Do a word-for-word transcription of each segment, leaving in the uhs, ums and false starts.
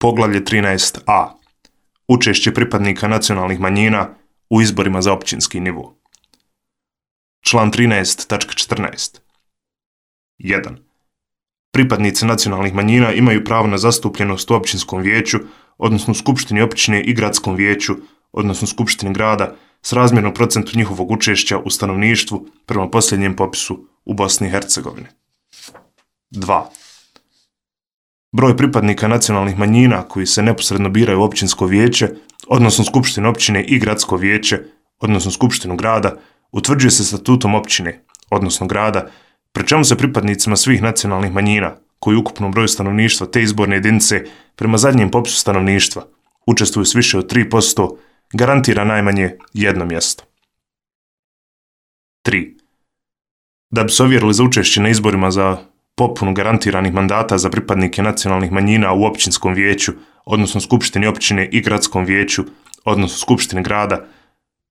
Poglavlje trinaest a. Učešće pripadnika nacionalnih manjina u izborima za općinski nivo. Član trinaest tačka četrnaest. jedan. Pripadnici nacionalnih manjina imaju pravo na zastupljenost u općinskom vijeću, odnosno skupštini općine i gradskom vijeću, odnosno skupštini grada, s razmjernom procentu njihovog učešća u stanovništvu prema posljednjem popisu u Bosni i Hercegovini. dva. Broj pripadnika nacionalnih manjina koji se neposredno biraju u općinsko vijeće, odnosno skupštinu općine i gradsko vijeće, odnosno skupštinu grada, utvrđuje se statutom općine, odnosno grada, pri čemu se pripadnicima svih nacionalnih manjina, koji u ukupnom broju stanovništva te izborne jedinice prema zadnjem popisu stanovništva učestvuju s više od tri posto, garantira najmanje jedno mjesto. tri. Da bi se ovjerili za učešće na izborima za popunu garantiranih mandata za pripadnike nacionalnih manjina u općinskom vijeću, odnosno skupštini općine i gradskom vijeću, odnosno skupštini grada,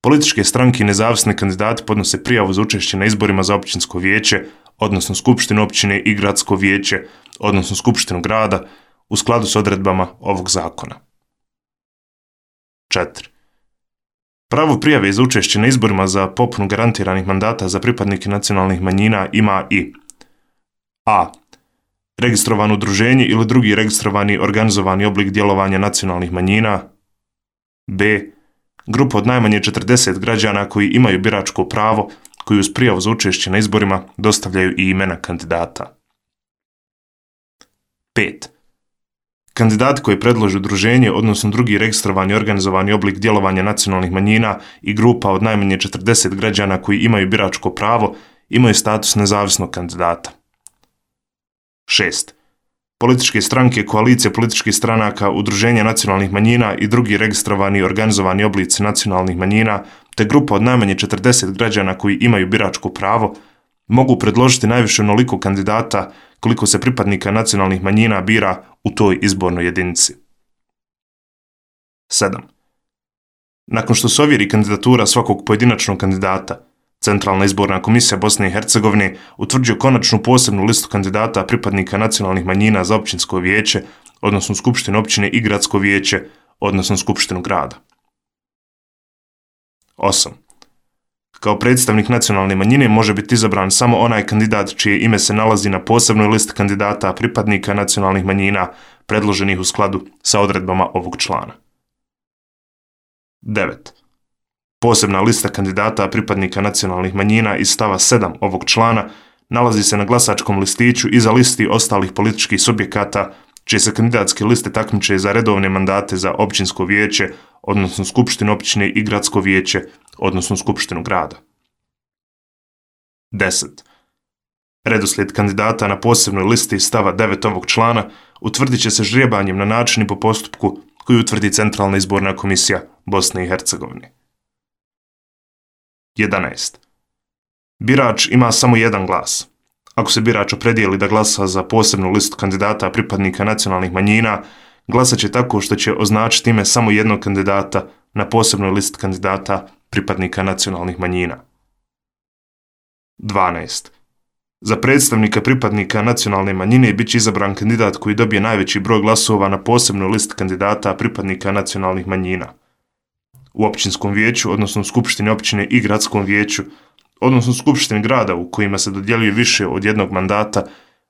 političke stranke i nezavisni kandidati podnose prijavu za učešće na izborima za općinsko vijeće, odnosno skupštinu općine i gradsko vijeće, odnosno skupštinu grada, u skladu s odredbama ovog zakona. četiri. Pravo prijave za učešće na izborima za popunu garantiranih mandata za pripadnike nacionalnih manjina ima i a. registrovano udruženje ili drugi registrovani organizovani oblik djelovanja nacionalnih manjina, b. grupa od najmanje četrdeset građana koji imaju biračko pravo, koji uz prijavu za učešće na izborima dostavljaju i imena kandidata. pet. Kandidati koji predlože udruženje, odnosno drugi registrovani organizovani oblik djelovanja nacionalnih manjina i grupa od najmanje četrdeset građana koji imaju biračko pravo, imaju status nezavisnog kandidata. šest. Političke stranke, koalicije političkih stranaka, udruženja nacionalnih manjina i drugi registrovani organizovani oblici nacionalnih manjina, te grupa od najmanje četrdeset građana koji imaju biračko pravo, mogu predložiti najviše onoliko kandidata koliko se pripadnika nacionalnih manjina bira u toj izbornoj jedinici. sedam. Nakon što se ovjeri kandidatura svakog pojedinačnog kandidata, Centralna izborna komisija Bosne i Hercegovine utvrđuje konačnu posebnu listu kandidata pripadnika nacionalnih manjina za općinsko vijeće, odnosno skupštinu općine i gradsko vijeće, odnosno skupštinu grada. osam. Kao predstavnik nacionalne manjine može biti izabran samo onaj kandidat čije ime se nalazi na posebnoj listi kandidata pripadnika nacionalnih manjina predloženih u skladu sa odredbama ovog člana. devet. Posebna lista kandidata pripadnika nacionalnih manjina iz stava sedam ovog člana nalazi se na glasačkom listiću iza listi ostalih političkih subjekata čije se kandidatske liste takmiče za redovne mandate za općinsko vijeće, odnosno skupštinu općine i gradsko vijeće, odnosno skupštinu grada. deset. Redoslijed kandidata na posebnoj listi iz stava devet ovog člana utvrdit će se ždrijebanjem na način i po postupku koji utvrdi Centralna izborna komisija Bosne i Hercegovine. jedanaest. Birač ima samo jedan glas. Ako se birač opredijeli da glasa za posebnu listu kandidata pripadnika nacionalnih manjina, glasat će tako što će označiti ime samo jednog kandidata na posebnoj listi kandidata pripadnika nacionalnih manjina. dvanaest. Za predstavnika pripadnika nacionalne manjine bit će izabran kandidat koji dobije najveći broj glasova na posebnoj listi kandidata pripadnika nacionalnih manjina. U općinskom vijeću, odnosno skupštini općine i gradskom vijeću, odnosno skupštini grada u kojima se dodjeljuje više od jednog mandata,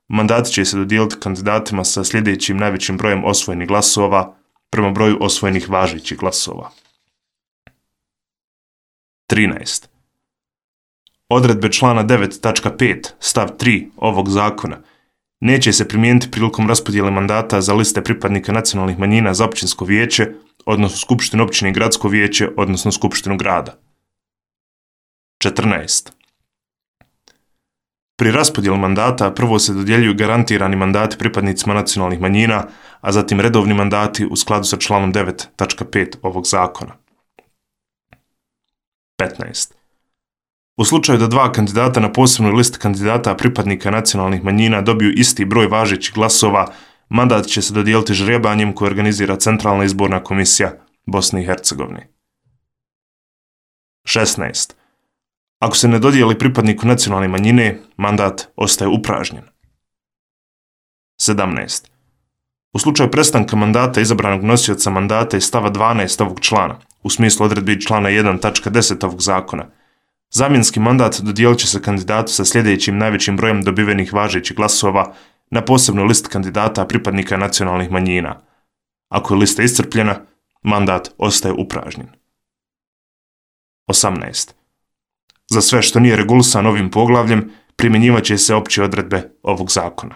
mandati će se dodijeliti kandidatima sa sljedećim najvećim brojem osvojenih glasova prema broju osvojenih važećih glasova. trinaest. Odredbe člana devet tačka pet stav tri ovog zakona neće se primijeniti prilikom raspodjele mandata za liste pripadnika nacionalnih manjina za općinsko vijeće, odnosno skupštinu općine i gradsko vijeće, odnosno skupštinu grada. četrnaest. Pri raspodjeli mandata prvo se dodjeljuju garantirani mandati pripadnicima nacionalnih manjina, a zatim redovni mandati u skladu sa članom devet tačka pet ovog zakona. petnaest. U slučaju da dva kandidata na posebnoj listi kandidata pripadnika nacionalnih manjina dobiju isti broj važećih glasova, mandat će se dodijeliti ždrijebanjem koje organizira Centralna izborna komisija Bosne i Hercegovine. šesnaest. Ako se ne dodijeli pripadniku nacionalne manjine, mandat ostaje upražnjen. sedamnaest. U slučaju prestanka mandata izabranog nosioca mandata iz stava dvanaest ovog člana, u smislu odredbi člana jedan tačka deset ovog zakona, zamjenski mandat dodijelit će se kandidatu sa sljedećim najvećim brojem dobivenih važećih glasova na posebnoj listi kandidata pripadnika nacionalnih manjina. Ako je lista iscrpljena, mandat ostaje upražnjen. osamnaest. Za sve što nije regulisano ovim poglavljem, primjenjivat će se opće odredbe ovog zakona.